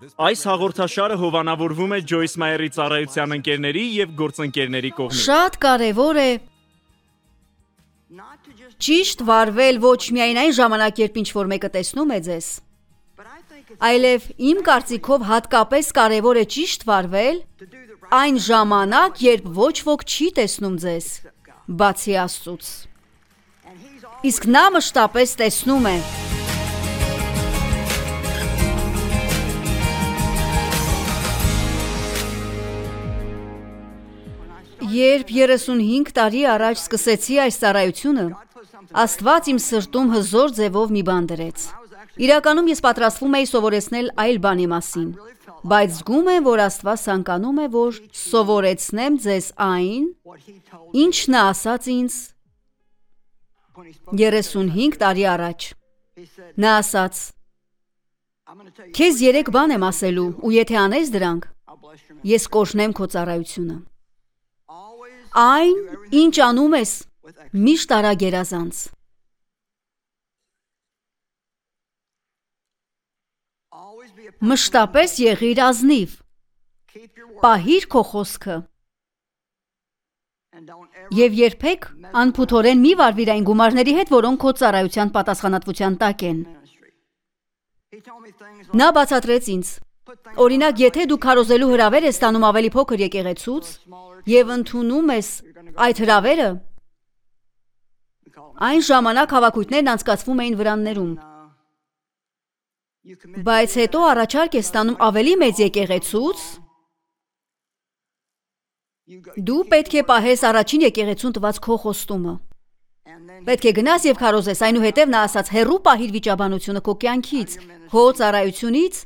Այս հաղորդաշարը հովանավորվում է Ջոյս Մայերի ծառայության ընկերների և գործընկերների կողմից։ Շատ կարևոր է ճիշտ վարվել ոչ միայն այն ժամանակ, երբ ինչ-որ մեկը տեսնում է ձեզ, այլև իմ կարծիքով հատկապես կարևոր է ճիշտ վարվել այն ժամանակ, երբ ոչ ոք չի տեսնում ձեզ, բացի Աստծուց։ Իսկ նա մշտապես տեսնում է։ Երբ 35 տարի առաջ սկսեցի այս ծառայությունը, Աստված իմ սրտում հզոր ձևով մի բան դրեց։ Իրականում ես պատրաստվում էի սովորեցնել այլ բանի մասին, բայց զգում եմ, որ Աստված ցանկանում է, որ սովորեցնեմ ձեզ այն, ինչ նա ասաց ինձ 35 տարի առաջ։ Նա ասաց. «Քեզ 3 բան եմ ասելու, ու եթե անես դրանք, ես կօրհնեմ քո ծառայությունը։ Այն, ինչ անում ես, միշտ արա գերազանց։ Մշտապես եղիր ազնիվ, պահիր քո խոսքը և երբեք անփութորեն մի վարվիր այն գումարների հետ, որոնք քո ծառայության պատասխանատվության տակ են»։ Նա բացատրեց ինձ. օրինակ, եթե դու քարոզելու հրավեր ես ստանում ավելի փոքր եկեղեցուց և ընդունում ես այդ հրավերը, այն ժամանակ հավաքույթներն անցկացվում էին վրաններում, բայց հետո առաջարկ ես ստանում ավելի մեծ եկեղեցուց, դու պետք է պահես առաջին եկեղեցուն տված քո խոստումը։ Պետք է գնաս և քարոզես, այնուհետև նա ասաց, հեռու պահիր վիճաբանությունը քո կյանքից, քո ծառայությունից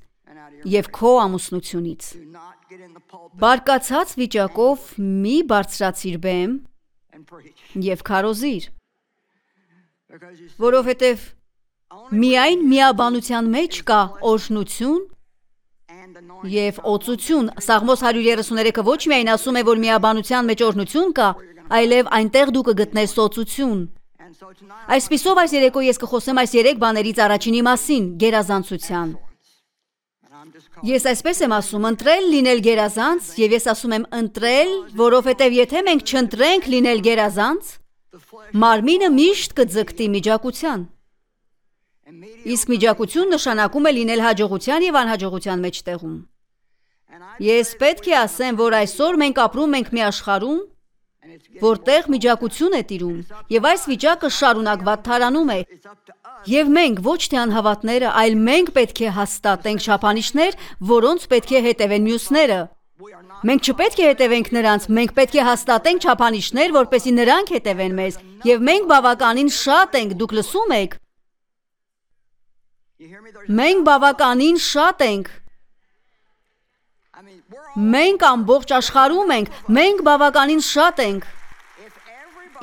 և քո ամուսնությունից։ Բարկացած վիճակով մի բարձրացիր բեմ և քարոզիր, որովհետև միայն միաբանության մեջ կա օրհնություն և օծություն։ Սաղմոս 133-ը ոչ միայն ասում է, որ միաբանության մեջ օրհնություն կա, այլև այնտեղ դու կգտնես օծություն։ Այսպիսով այս երեկո ես կխոսեմ այս 3 բաներից առաջինի մասին՝ գերազանցության։ Ես այսպես եմ ասում, ընտրել լինել գերազանց, և ես ասում եմ ընտրել, որովհետև եթե մենք չընտրենք լինել գերազանց, մարմինը միշտ կձգտի միջակության։ Իսկ միջակություն նշանակում է լինել հաջողության և անհաջողության մեջտեղում։ Ես պետք է ասեմ, որ այսօր մենք ապրում ենք մի աշխարհում, որտեղ միջակություն է տիրում, և այս վիճակը շարունակված թարանում է, և մենք ոչ թե անհավատները, այլ մենք պետք է հաստատենք չափանիշներ, որոնց պետք է հետևեն մյուսները։ Մենք չպետք է հետևենք նրանց, մենք պետք է հաստատենք չափանիշներ, որպեսզի նրանք հետևեն մեզ, և մենք բավականին շատ ենք, դուք լսում եք։ Մենք բավականին շատ ենք։ Մենք ամբողջ աշխարհում ենք, մենք բավականին շատ ենք։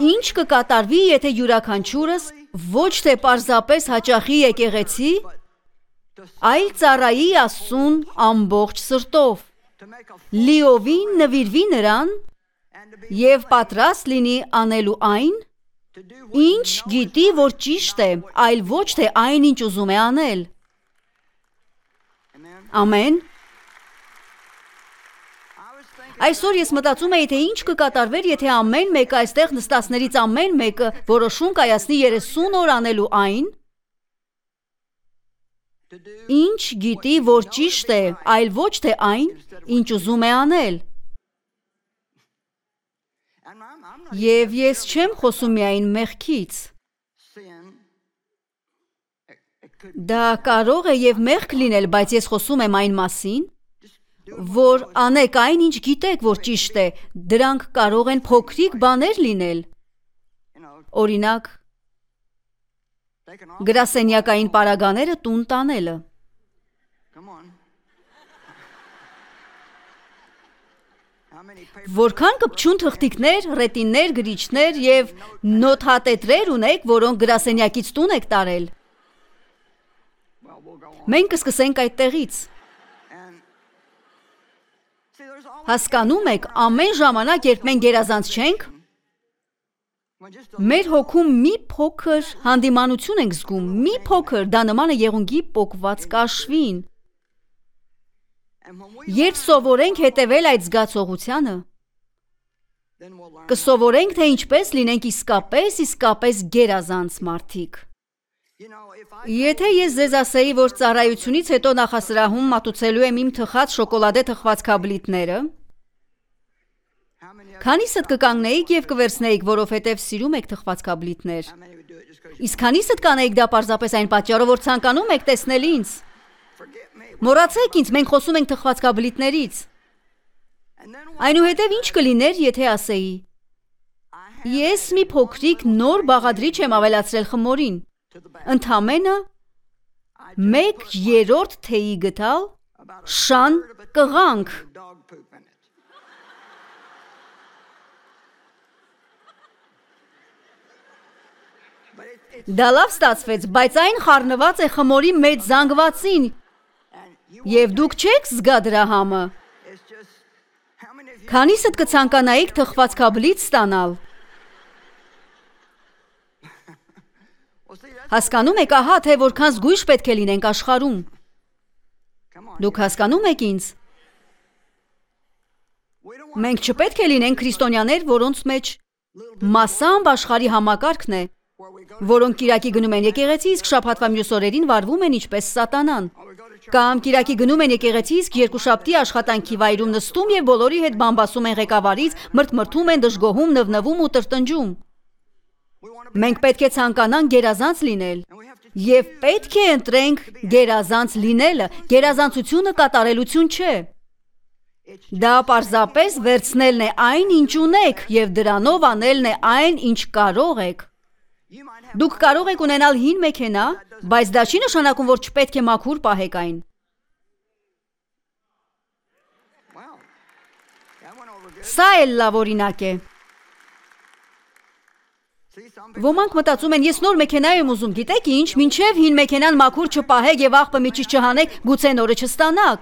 Ինչ կկատարվի, եթե յուրաքանչյուրս ոչ թե պարզապես հաճախի եկեղեցի, այլ ծառայի Աստծուն ամբողջ սրտով, լիովին նվիրվի նրան և պատրաստ լինի անելու այն, ինչ գիտի, որ ճիշտ է, այլ ոչ թե այն, ինչ ուզում է անել։ Ամեն։ Այսօր ես մտածում էի, թե ինչ կկատարվեր, եթե ամեն մեկը այստեղ նստածներից ամեն մեկը որոշում կայացնի 30 օր անելու այն, ինչ գիտի, որ ճիշտ է, այլ ոչ թե այն, ինչ ուզում է անել։ Եվ ես չեմ խոսում միայն մեղքից։ Դա կարող է և մեղք լինել, բայց ես խոսում եմ այն մասին, որ անեք այն, ինչ գիտեք, որ ճիշտ է, դրանք կարող են փոքրիկ բաներ լինել։ Օրինակ, գրասենյակային պարագաները տուն տանելը։ Որքան կպչուն թղթիկներ, ռետիններ, գրիչներ և նոթատետրեր ունեք, որոնք գրասենյակից տուն եք տարել։ Մենք կսկսենք այդտեղից։ Հասկանում եք, ամեն ժամանակ, երբ մենք գերազանց չենք, մեր հոգում մի փոքր հանդիմանություն ենք զգում, մի փոքր, դա նման է եղունգի պոկված կաշվին։ Երբ սովորենք հետևել այդ զգացողությանը, կսովորենք, թե ինչպես լինենք իսկապես գերազանց մարդիկ։ Եթե ես ձեզ ասեի, որ ծառայությունից հետո նախասրահում մատուցելու եմ իմ թխած շոկոլադե թխվածքաբլիթները, քանիսդ կկանգնեիք և կվերցնեիք, որովհետև սիրում եք թխվածքաբլիթներ։ Իսկ քանիսդ կանեիք դա պարզապես այն պատճառով, որ ցանկանում եք տեսնել ինձ։ Մոռացեք ինձ, մենք խոսում ենք թխվածքաբլիթներից։ Այնուհետև ինչ կլիներ, եթե ասեի. ես մի փոքրիկ նոր բաղադրիչ եմ ավելացրել խմորին, ընդամենը 1/3 թեյի գտալ շան կղանք։ Դա լավ ստացվեց, բայց այն խառնված է խմորի մեջ զանգվածին, և դուք չեք զգա դրա համը։ Քանիսդ կցանկանայիք թխվածքաբլիթ ստանալ։ Հասկանում եք, ահա թե որքան զգույշ պետք է լինենք աշխարհում։ Դուք հասկանում եք ինձ։ Մենք չպետք է լինենք քրիստոնյաներ, որոնց մեջ մասամբ աշխարհի համակարգն է, որոնք կիրակի գնում են եկեղեցի, իսկ շաբաթվա մյուս օրերին վարվում են ինչպես սատանան։ Կամ կիրակի գնում են եկեղեցի, իսկ երկուշաբթի աշխատանքի վայրում նստում և բոլորի հետ բամբասում են ղեկավարից, մրթմրթում են, դժգոհում, նվնվում ու տրտնջում։ Մենք պետք է ցանկանանք գերազանց լինել, և պետք է ընտրենք գերազանց լինելը, գերազանցությունը կատարելություն չէ։ Դա պարզապես վերցնելն է այն, ինչ ունեք, և դրանով անելն է այն, ինչ կարող եք։ Դուք կարող եք ունենալ հին մեքենա, բայց դա չի նշանակում, որ չպետք է մաքուր պահեք այն։ Սա էլ լավ օրինակ է։ Ոմանք մտածում են, ես նոր մեքենա եմ ուզում, գիտեք ինչ, մինչև հին մեքենան մաքուր չպահեք և աղբը միջից չհանեք, գուցե նորը չստանաք։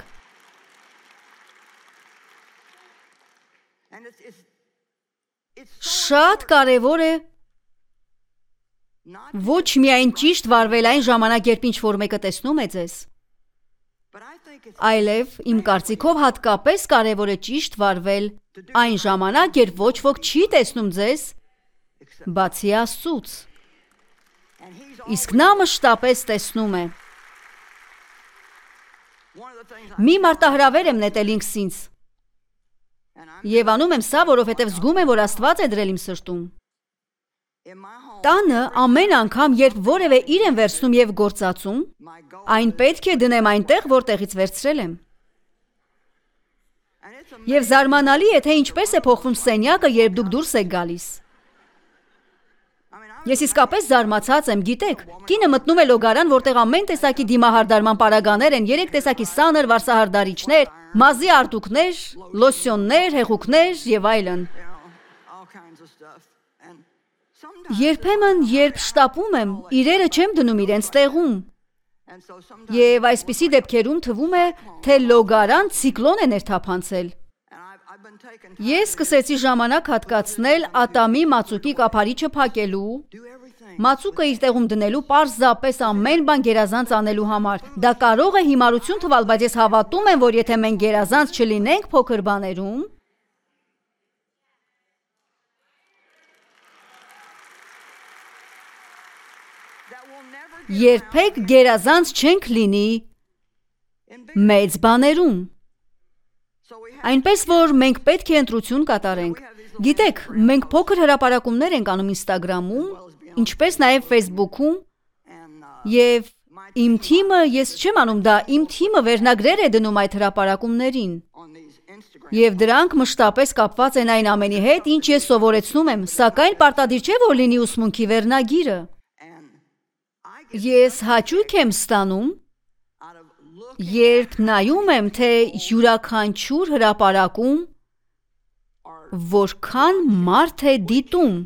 Շատ կարևոր է ոչ միայն ճիշտ վարվել այն ժամանակ, երբ ինչ-որ մեկը տեսնում է ձեզ, այլև իմ կարծիքով հատկապես կարևոր է ճիշտ վարվել այն ժամանակ, երբ ոչ ոք չի տեսնում ձեզ, բացի Աստծուց, իսկ նա մշտապես տեսնում է։ Մի մարտահրավեր եմ նետել ինքսինց, և անում եմ սա, որովհետև զգում եմ, որ Աստված է դրել իմ սրտում։ Տանը ամեն անգամ, երբ որևէ իր եմ վերցնում և գործածում, այն պետք է դնեմ այնտեղ, որտեղից վերցրել եմ։ Եվ զարմանալի է, թե ինչպես է փոխվում սենյակը, երբ դուք դուրս եք գալիս։ Ես իսկապես զարմացած եմ, գիտեք, կինը մտնում է լոգարան, որտեղ ամեն տեսակի դիմահարդարման պարագաներ են, 3 տեսակի սանր վարսահարդարիչներ, մազի արտուկներ, լոսյոններ, հեղուկներ և այլն։ Երբեմն, երբ շտապում եմ, իրերը չեմ դնում իրենց տեղում։ Եվ այսպիսի դեպքերում թվում է, թե լոգարան ցիկլոն է ներթափանցել։ Ես սկսեցի ժամանակ հատկացնել ատամի մածուկի կափարիչը փակելու, մածուկը իր տեղում դնելու, պարզապես ամեն բան գերազանց անելու համար։ Դա կարող է հիմարություն թվալ, բայց ես հավատում եմ, որ եթե մենք գերազանց չլինենք փոքր բաներում, երբեք գերազանց չենք լինի մեծ բաներում։ Այնպես, որ մենք պետք է ընտրություն կատարենք։ Գիտեք, մենք փոքր հրապարակումներ ենք անում Instagram-ում, ինչպես նաև Facebook-ում, և իմ թիմը, ես չեմ անում դա, իմ թիմը վերնագրեր է դնում այդ հրապարակումներին։ Եվ դրանք մշտապես կապված են այն ամենի հետ, ինչ ես սովորեցնում եմ, սակայն պարտադիր չէ, որ լինի ուսմունքի վերնագիրը։ Ես հաճույք եմ ստանում, երբ նայում եմ, թե յուրաքանչյուր հրապարակում որքան մարդ է դիտում։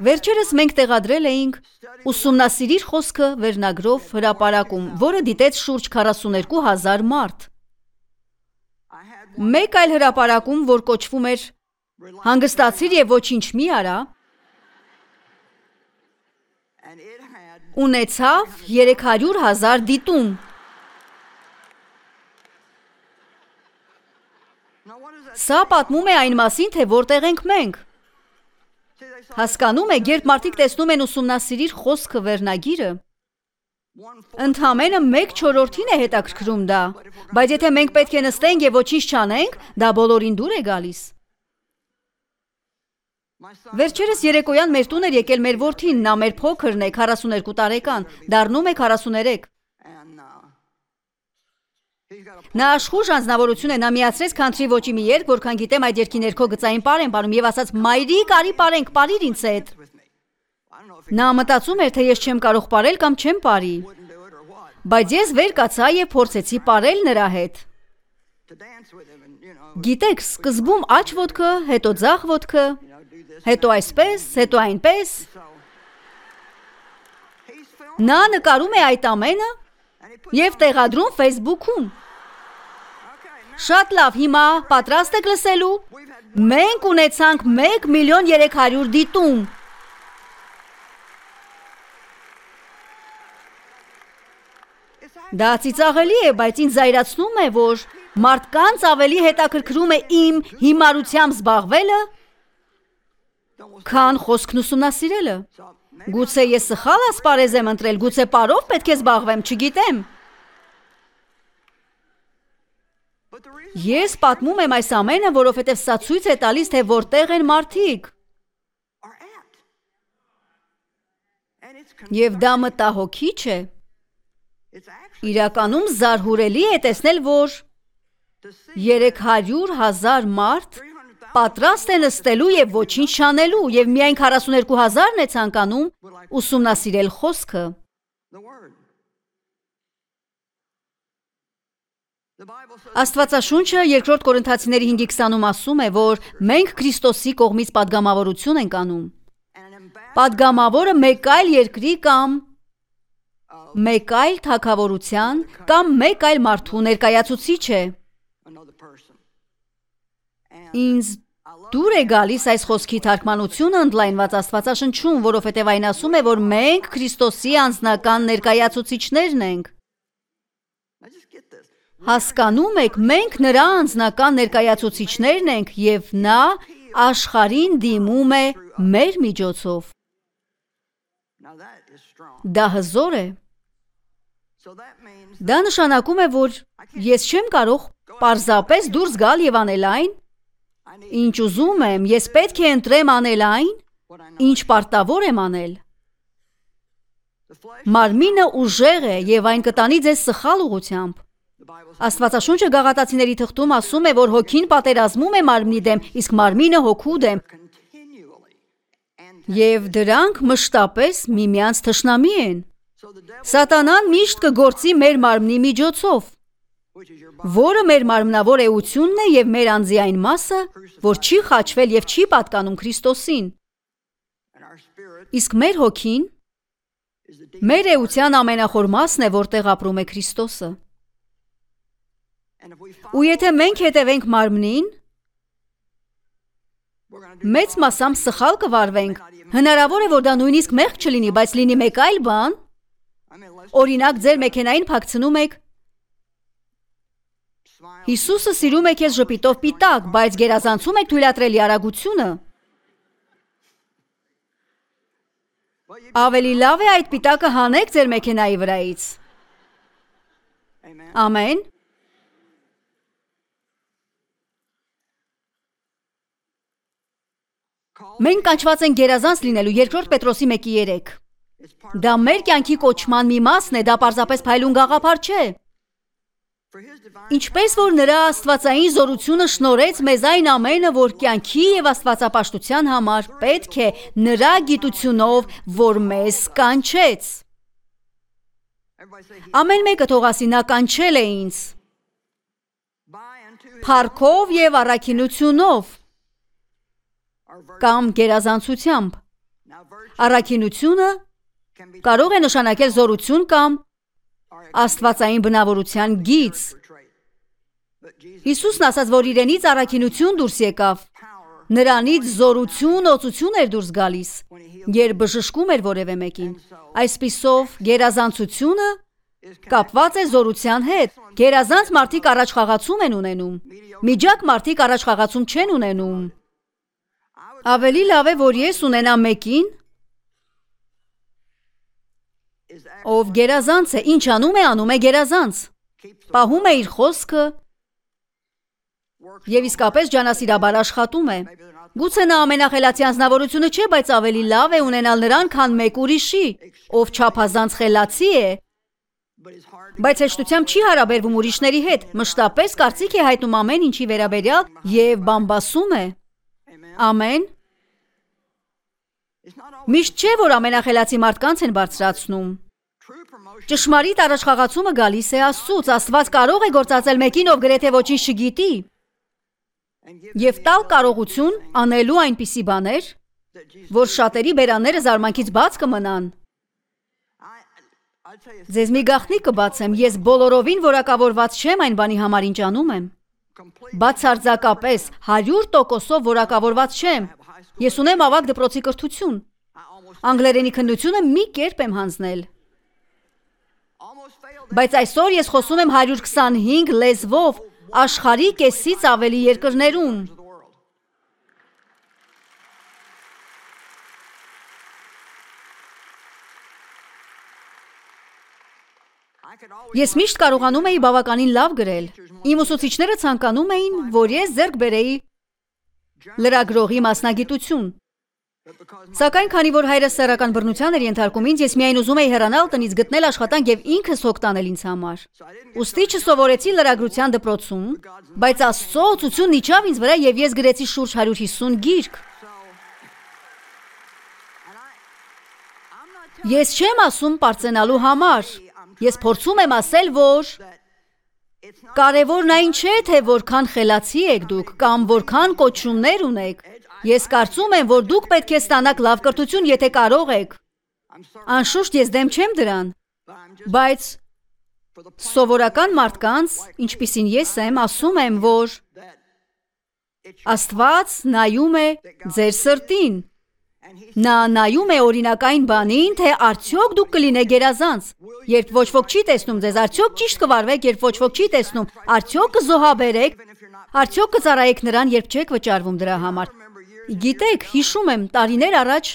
Վերջերս մենք տեղադրել էինք «Ուսումնասիրիր խոսքը» վերնագրով հրապարակում, որը դիտեց շուրջ 42,000 մարդ։ Մեկ այլ հրապարակում, որ կոչվում էր «Հանգստացիր և ոչինչ մի արա», ունեցավ 300,000 դիտում։ Սա պատմում է այն մասին, թե որտեղ ենք մենք։ Հասկանում եք, երբ մարդիկ տեսնում են ուսումնասիրիր խոսքը վերնագիրը, ընդամենը 1/4-ին է հետաքրքրում դա, բայց եթե մենք պետք է նստենք եւ ոչինչ չանենք, դա բոլորին դուր է գալիս։ Վերջերս երեկոյան մեր տուն էր եկել մեր որդին, նա մեր փոքրն է, 42 տարեկան, դառնում է 43։ Նա աշխուժ անձնավորություն է, նա միացրեց քանթրի ոճի մի երգ, որքան գիտեմ այդ երգի ներքո գծային պար են պարում եւ ասաց մայրիկ արի պարենք, պարիր ինձ հետ։ Նա մտածում էր, թե ես չեմ կարող պարել կամ չեմ պարի, բայց ես վեր կացա եւ փորձեցի պարել նրա հետ։ Գիտեք, սկզբում աջ ոտքը, հետո ձախ ոտքը, հետո այսպես, հետո այնպես։ Նա նկարում է այդ ամենը եւ տեղադրում Facebook-ում։ Շատ լավ, հիմա պատրաստ եք լսելու։ Մենք ունեցանք 1,300,000 դիտում։ Դա ծիծաղելի է, բայց ինձ զայրացնում է, որ մարդկանց ավելի հետաքրքրում է իմ հիմարությամբ զբաղվելը, քան խոսքն ուսումնասիրելը։ Գուցե ես սխալ ասպարեզ եմ ընտրել, գուցե պարով պետք է զբաղվեմ, չգիտեմ։ Ես պատմում եմ այս ամենը, որովհետև սա ցույց է տալիս, թե որտեղ են մարդիկ։ Եվ դա մտահոգիչ է։ Իրականում զարհուրելի է տեսնել, որ 300,000 մարդ պատրաստ է նստելու եւ ոչինչ չանելու, եւ միայն 42,000-ն է ցանկանում ուսումնասիրել խոսքը։ Աստվածաշունչը 2 Կորինթացիների 5:20-ում ասում է, որ մենք Քրիստոսի կողմից պատգամավորություն ենք անում։ Պատգամավորը մեկ այլ երկրի կամ մեկ այլ թագավորության կամ մեկ այլ մարդու ներկայացուցիչ է։ Ինձ դուր է գալիս այս խոսքի թարգմանությունը ընդլայնված Աստվածաշնչում, որովհետև այն ասում է, որ մենք Քրիստոսի անձնական ներկայացուցիչներն ենք։ Հասկանում եք, մենք նրա անձնական ներկայացուցիչներն ենք եւ նա աշխարհին դիմում է մեր միջոցով։ Դա հզոր է։ Դա նշանակում է, որ ես չեմ կարող պարզապես դուրս գալ եւ անել այն, ինչ ուզում եմ, ես պետք է ընտրեմ անել այն, ինչ պարտավոր եմ անել։ Մարմինը ուժեղ է եւ այն կտանի ձեզ սխալ ուղղությամբ։ Աստվածաշունչը Գաղատացիների թղթում ասում է, որ հոգին պատերազմում է մարմնի դեմ, իսկ մարմինը հոգու դեմ։ Եվ դրանք մշտապես միմյանց թշնամի են։ Սատանան միշտ կգործի մեր մարմնի միջոցով, որը մեր մարմնավոր էությունն է եւ մեր անձի այն մասը, որ չի խաչվել եւ չի պատկանում Քրիստոսին։ Իսկ մեր հոգին մեր էության ամենախոր մասն է, որտեղ ապրում է Քրիստոսը։ Ու եթե մենք հետևենք մարմնին, մեծ մասամբ սխալ կվարվենք։ Հնարավոր է, որ դա նույնիսկ մեղք չլինի, բայց լինի մեկ այլ բան։ Օրինակ, ձեր մեքենային փակցնում եք։ Հիսուսը սիրում է քեզ ժպիտով պիտակ, բայց գերազանցում եք թույլատրելի արագությունը։ Ավելի լավ է այդ պիտակը հանեք ձեր մեքենայի վրայից։ Ամեն։ Մենք կանչված ենք գերազանց լինելու 2 Պետրոսի 1:3։ Դա մեր կյանքի կոչման մի մասն է, դա պարզապես փայլուն գաղափար չէ։ Ինչպես որ նրա աստվածային զորությունը շնորհեց մեզ այն ամենը, որ կյանքի եւ աստվածապաշտության համար պետք է նրա գիտությունով, որ մեզ կանչեց։ Ամեն մեկը թող ասի, նա կանչել է ինձ փառքով եւ առաքինությունով կամ գերազանցությամբ։ Առաքինությունը կարող է նշանակել զորություն կամ աստվածային բնավորության գիծ։ Հիսուսն ասաց, որ իրենից առաքինություն դուրս եկավ, Նրանից զորություն, օծություն էր դուրս գալիս, երբ բժշկում էր որևէ մեկին։ Այսպիսով գերազանցությունը կապված է զորության հետ։ Գերազանց մարդիկ առաջխաղացում են ունենում, միջակ մարդիկ առաջխաղացում չեն ունենում։ Ավելի լավ է, որ ես ունենամ մեկին, ով գերազանց է, ինչ անում է գերազանց, պահում է իր խոսքը և իսկապես ջանասիրաբար աշխատում է։ Գուցե նա ամենախելացի անձնավորությունը չէ, բայց ավելի լավ է ունենալ նրան, քան մեկ ուրիշի, ով չափազանց խելացի է, բայց հեշտությամբ չի հարաբերվում ուրիշների հետ, մշտապես կարծիք է հայտնում ամեն ինչի վերաբերյալ և բամբասում է։ Ամեն։ Միշտ չէ, որ ամենախելացի մարդկանց են բարձրացնում։ Ճշմարիտ առաջխաղացումը գալիս է Աստծուց, Աստված կարող է գործածել մեկին, ով գրեթե ոչինչ չգիտի, և տալ կարողություն անելու այնպիսի բաներ, որ շատերի բերանները զարմանքից բաց կմնան։ Ձեզ մի գաղտնիք կբացեմ, ես բոլորովին որակավորված չեմ այն բանի համար, ինչ անում եմ։ Բացարձակապես 100%-ով որակավորված չեմ։ Ես ունեմ ավագ դպրոցի կրթություն։ Անգլերենի քննությունը մի կերպ եմ հանձնել։ Բայց այսօր ես խոսում եմ 125 լեզվով աշխարհի կեսից ավելի երկրներում։ Ես միշտ կարողանում էի բավականին լավ գրել։ Իմ ուսուցիչները ցանկանում էին, որ ես ձեռք բերեի լրագրողի մասնագիտություն։ Սակայն քանի որ հայրս սեռական բռնության էր ենթարկում ինձ, ես միայն ուզում էի հեռանալ տնից, գտնել աշխատանք և ինքս հոգ տանել ինձ համար։ Ուստի չսովորեցի լրագրության դպրոցում, բայց Աստծո օծությունն իջավ ինձ վրա և ես գրեցի շուրջ 150 գիրք։ Ես չեմ ասում պարծենալու համար։ Ես փորձում եմ ասել, որ կարևորն այն չէ, թե որքան խելացի եք դուք կամ որքան կոչումներ ունեք։ Ես կարծում եմ, որ դուք պետք է ստանաք լավ կրթություն, եթե կարող եք։ Անշուշտ ես դեմ չեմ դրան, բայց սովորական մարդկանց, ինչպիսին ես եմ, ասում եմ, որ Աստված նայում է ձեր սրտին։ Նա նայում է օրինակային բանին, թե արդյոք դուք կլինեք գերազանց։ Երբ ոչ ոք չի տեսնում ձեզ, արդյոք ճիշտ կվարվեք, երբ ոչ ոք չի տեսնում, արդյոք կզոհաբերեք, արդյոք կծառայեք նրան, երբ չեք վճարվում դրա համար։ Գիտեք, հիշում եմ, տարիներ առաջ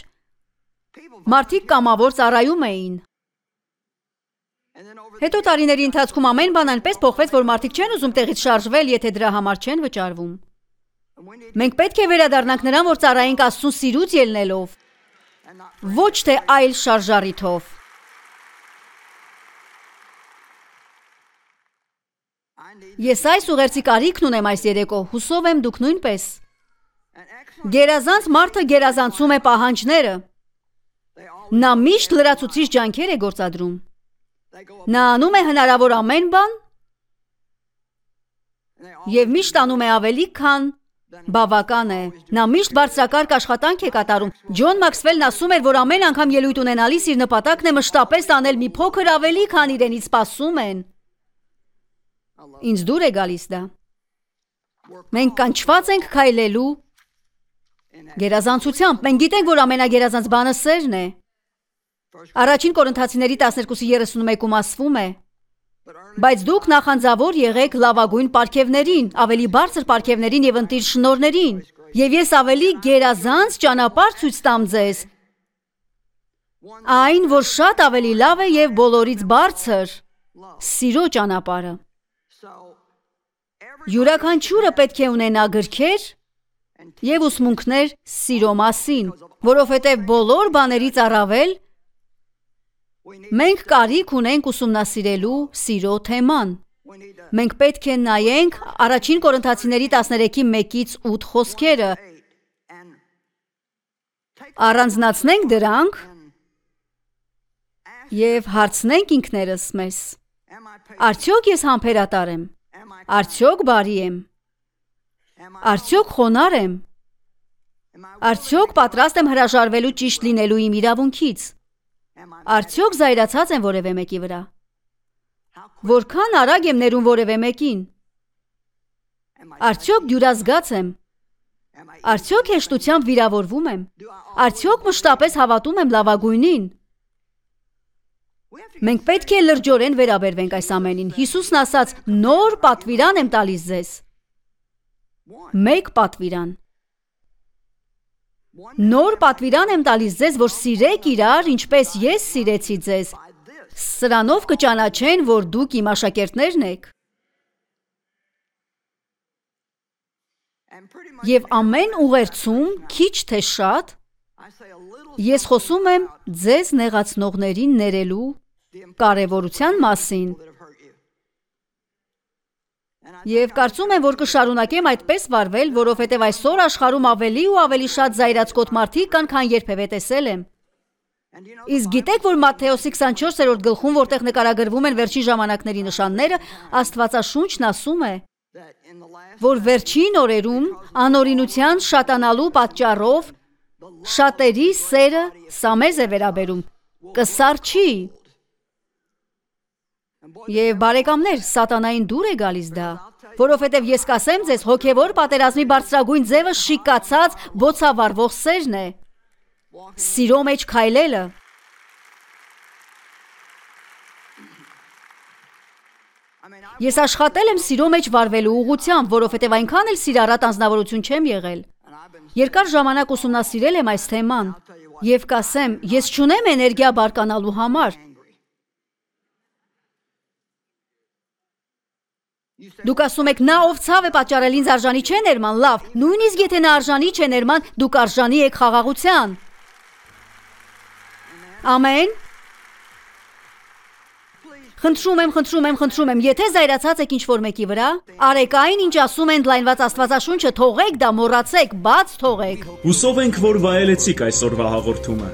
մարդիկ կամավոր ծառայում էին։ Հետո տարիների ընթացքում ամեն բան այնպես փոխվեց, որ մարդիկ չեն ուզում տեղից շարժվել, եթե դրա համար չեն վճարվում։ Մենք պետք է վերադառնանք նրան, որ ծառայենք Աստծուն սիրուց ելնելով, ոչ թե այլ շարժառիթով։ Ես այս ուղերձի կարիքն ունեմ այս երեկո, հուսով եմ դուք նույնպես։ Գերազանց մարդը գերազանցում է պահանջները։ Նա միշտ լրացուցիչ ջանքեր է գործադրում։ Նա անում է հնարավոր ամեն բան և միշտ անում է ավելի, քան բավական է։ Նա միշտ բարձրակարգ աշխատանք է կատարում։ Ջոն Մաքսվելն ասում էր, որ ամեն անգամ ելույթ ունենալիս իր նպատակն է մշտապես անել մի փոքր ավելի, քան իրենից սպասում են։ Ինձ դուր է գալիս դա։ Մենք կանչված ենք քայլելու գերազանցությամբ։ Մենք գիտենք, որ ամենագերազանց բանը սերն է։ Առաջին Կորինթացիների 12:31-ում ասվում է. Բայց դուք նախանձավոր եղեք լավագույն պարգևներին, ավելի բարձր պարգևներին և ընտիր շնորհներին, և ես ավելի գերազանց ճանապարհ ցույց տամ ձեզ, այն, որ շատ ավելի լավ է և բոլորից բարձր, սիրո ճանապարհը։ Յուրաքանչյուրը պետք է ունենա գրքեր և ուսմունքներ սիրո մասին, որովհետև բոլոր բաներից առավել մենք կարիք ունենք ուսումնասիրելու սիրո թեման։ Մենք պետք է նայենք առաջին Կորինթացիների 13:1-8 խոսքերը, առանձնացնենք դրանք և հարցնենք ինքներս մեզ. արդյոք ես համբերատար եմ, արդյոք բարի եմ, արդյոք խոնարհ եմ, արդյոք պատրաստ եմ հրաժարվելու ճիշտ լինելու իմ իրավունքից, արդյոք զայրացած եմ որևէ մեկի վրա, որքան արագ եմ ներում որևէ մեկին, արդյոք դյուրազգաց եմ, Արդյոք հեշտությամբ վիրավորվում եմ։ Արդյոք մշտապես հավատում եմ լավագույնին։ Մենք պետք է լրջորեն վերաբերվենք այս ամենին։ Հիսուսն ասաց. նոր պատվիրան եմ տալիս ձեզ։ Մեկ պատվիրան։ Նոր պատվիրան եմ տալիս ձեզ, որ սիրեք իրար, ինչպես ես սիրեցի ձեզ։ Սրանով կճանաչեն, որ դուք իմ աշակերտներն եք։ Եվ ամեն ուղերձում, քիչ թե շատ, ես խոսում եմ ձեզ նեղացնողներին ներելու կարևորության մասին։ Եվ կարծում եմ, որ կշարունակեմ այդպես վարվել, որովհետև այսօր աշխարհում ավելի ու ավելի շատ զայրացկոտ մարդիկ կան, քան երբևէ տեսել եմ։ Իսկ գիտեք, որ Մատթեոսի 24-րդ գլխում, որտեղ նկարագրվում են վերջին ժամանակների նշանները, Աստվածաշունչն ասում է, որ վերջին օրերում անօրինության շատանալու պատճառով շատերի սերը սամեզ է վերաբերում, կսարչի։ Եվ բարեկամներ, սատանային դուր է գալիս դա, որովհետև ես կասեմ ձեզ, հոգևոր պատերազմի բարձրագույն ձևը շիկացած, բոցավառվող սերն է։ Սիրո մեջ քայլելը։ Ես աշխատել եմ սիրո մեջ վարվելու ուղղությամբ, որովհետև այնքան էլ սիրառատ անձնավորություն չեմ եղել։ Երկար ժամանակ ուսումնասիրել եմ այս թեման եւ կասեմ, ես չունեմ էներգիա բարկանալու համար։ Դուք ասում եք, նա ով ցավ է պատճառել ինձ արժանի չէ ներման, լավ, նույնիսկ եթե նա արժանի չէ ներման, դուք արժանի եք խաղաղության։ Ամեն։ Խնդրում եմ, եթե զայրացած եք ինչ-որ մեկի վրա, արեք այն, ինչ ասում են ընդլայնված Աստվածաշունչը, թողեք դա, մոռացեք, բաց թողեք։ Հուսով ենք, որ վայելեցիք այսօրվա հաղորդումը։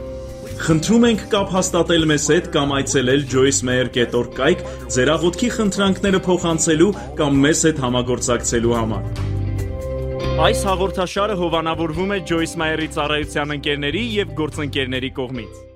Խնդրում ենք կապ հաստատել մեզ հետ կամ այցելել joycemeyer.org կայք ձեր աղոթքի խնդրանքները փոխանցելու կամ մեզ հետ համագործակցելու համար։ Այս հաղորդաշարը հովանավորվում է Joyce Meyer-ի ծառայության ընկերների եւ գործընկերների կողմից։